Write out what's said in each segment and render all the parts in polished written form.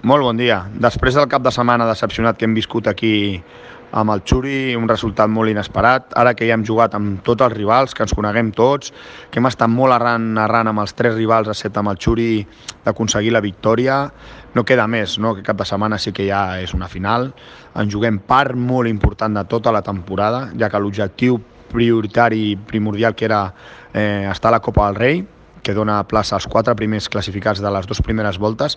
Molt bon dia. Després del cap de setmana decepcionat que hem viscut aquí amb el Xuri, un resultat molt inesperat, ara que ja hem jugat amb tots els rivals, que ens coneguem tots, que hem estat molt arran amb els 3 rivals, excepte amb el Xuri, d'aconseguir la victòria, no queda més, no? Que cap de setmana sí que ja és una final. En juguem part molt important de tota la temporada, ja que l'objectiu prioritari i primordial que era estar a la Copa del Rei, que dona plaça als 4 primers classificats de les 2 primeres voltes,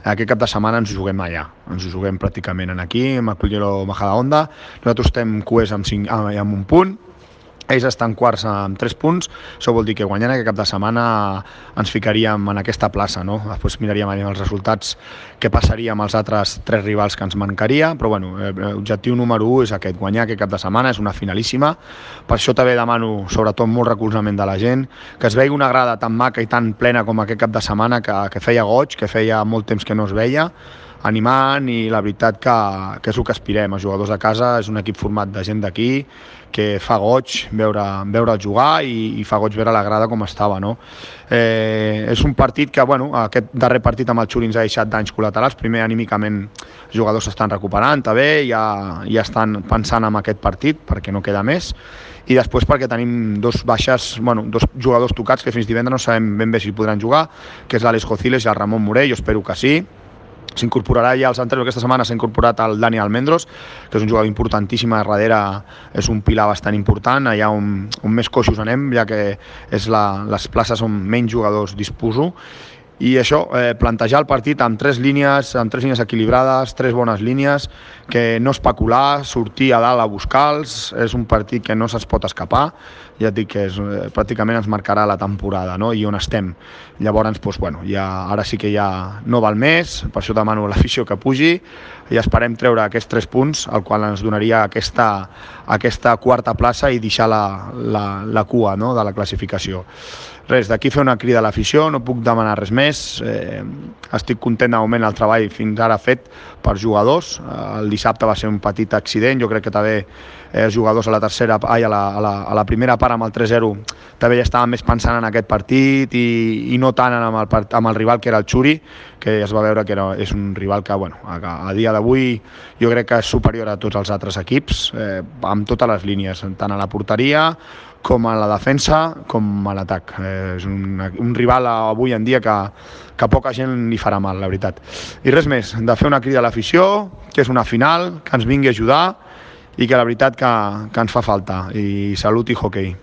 aquest cap de setmana ens ho juguem allà. Ens ho juguem pràcticament aquí, amb el Club Majadahonda. Nosaltres estem cuers amb 1 punt, ells estan quarts amb 3 punts, això vol dir que guanyant aquest cap de setmana ens ficaríem en aquesta plaça, no? Després miraríem els resultats, què passaria amb els altres 3 rivals que ens mancaria, però bueno, l'objectiu número 1 és aquest, guanyar aquest cap de setmana, és una finalíssima. Per això també demano, sobretot, molt recolzament de la gent, que es vegi una grada tan maca i tan plena com aquest cap de setmana, que feia goig, que feia molt temps que no es veia, animant, i la veritat que és el que aspirem. Els jugadors de casa és un equip format de gent d'aquí, que fa goig veure'l jugar i fa goig veure la grada com estava, no? És un partit que, bueno, aquest darrer partit amb el Xuri ens ha deixat danys col·laterals. Primer, anímicament, els jugadors s'estan recuperant, també, ja estan pensant en aquest partit, perquè no queda més, i després perquè tenim 2 baixes, bueno, 2 jugadors tocats que fins divendres no sabem ben bé si podran jugar, que és l'Àlex Gociles i el Ramon Morell. Jo espero que sí. S'incorporarà ja als anteriors, aquesta setmana s'ha incorporat el Dani Almendros, que és un jugador importantíssim, a darrere és un pilar bastant important, allà on més coixos anem, ja que les places on menys jugadors disposo. I això, plantejar el partit amb 3 línies equilibrades, 3 bones línies, que no especular, sortir a dalt a buscar-los. És un partit que no se'ns pot escapar, ja et dic que pràcticament ens marcarà la temporada, no? I on estem. Llavors, doncs, bueno, ara sí que ja no val més, per això demano a l'afició que pugi, i esperem treure aquests 3 punts, el qual ens donaria aquesta 4a plaça i deixar la cua, no?, de la classificació. Res, d'aquí fer una crida a l'afició, no puc demanar res més. Estic content de moment el treball fins ara fet per jugadors. El dissabte va ser un petit accident, jo crec que també els jugadors a la primera part amb el 3-0 també ja estaven més pensant en aquest partit i no tant amb el rival que era el Xuri, que es va veure que és un rival que, bueno, a dia d'avui jo crec que és superior a tots els altres equips, amb totes les línies, tant a la porteria com a la defensa, com a l'atac. És un rival avui en dia que poca gent li farà mal, la veritat. I res més, de fer una crida a l'afició, que és una final, que ens vingui a ajudar i que la veritat que ens fa falta. I salut i hoquei.